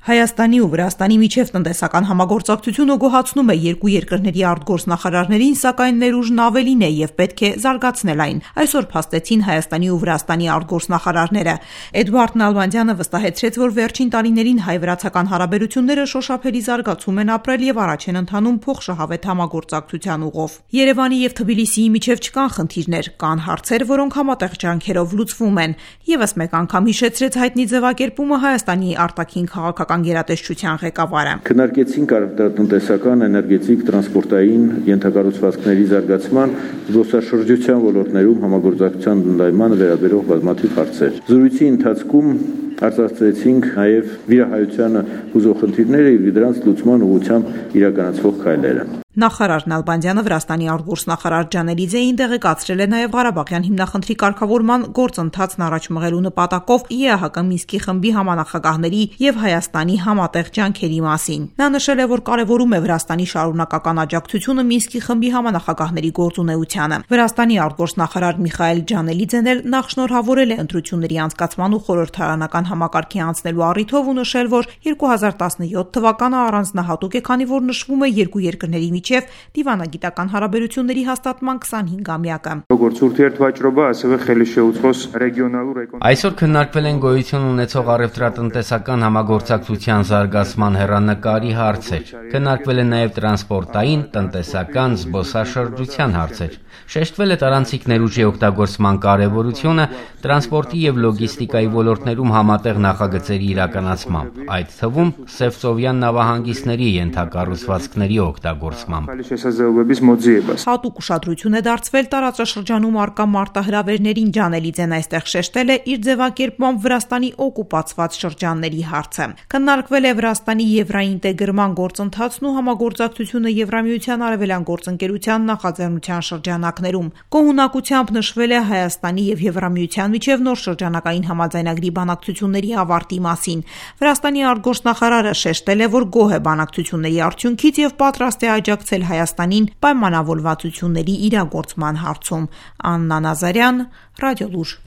Հայաստանի ու Վրաստանի միջև տնտեսական համագործակցությունը գոհացնում է երկու երկրների արտգործնախարարներին, սակայն ներուժն ավելին է եւ պետք է զարգացնել այն։ Այսօր փաստեցին Հայաստանի ու Վրաստանի արտգործնախարարները։ Էդուարդ Նալբանդյանը վստահեցրեց, որ վերջին տարիներին հայ-վրացական հարաբերությունները շոշափելի զարգացում են ապրել եւ առաջ են ընթանում փոխշահավետ համագործակցության ուղով։ Երևանի եւ Թբիլիսիի միջև չկան խնդիրներ, կան հարցեր, որոնք համատեղ ջանքերով լուծվում են։ Եվս մեկ անգամ հիշեցրեց հայտնի ձևակերպումը Հայաստանի արտաքին քաղաքական գերատեսչության ղեկավարը։ Քննարկեցինք տնտեսական, էներգետիկ, տրանսպորտային ենթակառուցվածքների զարգացման, զբոսաշրջության ոլորտներում համագործակցության ընդլայնմանը վերաբերող բազմաթիվ հարցեր։ Զրույցի ընթացքում արձանագրեցինք նաև վիրահայությանը հուզող խնդիրները եւ դրանց լուծման ուղղությամբ իրականացվող քայլերը։ Նախարար Նալբանդյանը Վրաստանի արտգործնախարար Ջանելիձեին տեղեկացրել է նաև Ղարաբաղյան հիմնախնդրի կարգավորման գործընթացն առաջ մղելու նպատակով ԵԱՀԿ Մինսկի խմբի համանախագահների եւ Հայաստանի համատեղ ջանքերի մասին։ Նա նշել է, որ կարևորում է Վրաստանի շարունակական աջակցությունը Մինսկի խմբի համանախագահների գործունեությանը։ Վրաստանի արտգործնախարար Միխայել Ջանելիձեն էլ նախ շնորհավորել է ընտրությունների անցկացման ու խորհրդարանական համակարգի անցնելու առիթով ու նշել, որ 2017 թվականը առանձնահատուկ է, քանի որ նշվում է երկու երկրների միջև դիվանագիտական հարաբերությունների հաստատման 25-ամյակը։ Այսօր քննարկվել են գոյություն ունեցող առևտրատնտեսական համագործակցության զարգացման հեռանկարի հարցեր։ Քննարկվել են նաև տրանսպորտային, տնտեսական, զբոսաշրջության հարցեր։ Շեշտվել է տարանցիկ ներուժի օգտագործման կարևորությունը տրանսպորտի եւ լոգիստիկայի ոլորտներում համատեղ նախագծերի իրականացմամբ, այդ թվում Սևծովյան նավահանգիստների ենթակառուցվածքների օգտագործմամբ։ Հատուկ ուշադրություն է դարձվել տարածաշրջանում առկա մարտահրավերներին։ Ջանելիձեն այստեղ շեշտել է իր ձևակերպմամբ Վրաստանի օկուպացված շրջանների հարցը։ Քննարկվել է Վրաստանի եվրաինտեգրման գործընթացն ու համագործակցությունը Եվրամիության արևելյան գործընկերության նախաձեռնության շրջանակներում։ Կողմնակությամբ նշվել է Հայաստանի եւ Եվրամիության միջև նոր շրջանակային համաձայնագրի բանակցությունների ավարտի մասին։ Վրաստանի արտգործնախարարը շեշտել է, որ գոհ է բանակցությունների արդյունքից եւ պատրաստ է աջակցել Հայաստանին պայմանավորվածությունների իրագործման հարցում։ Աննա Նազարյան, Ռադիոլուր։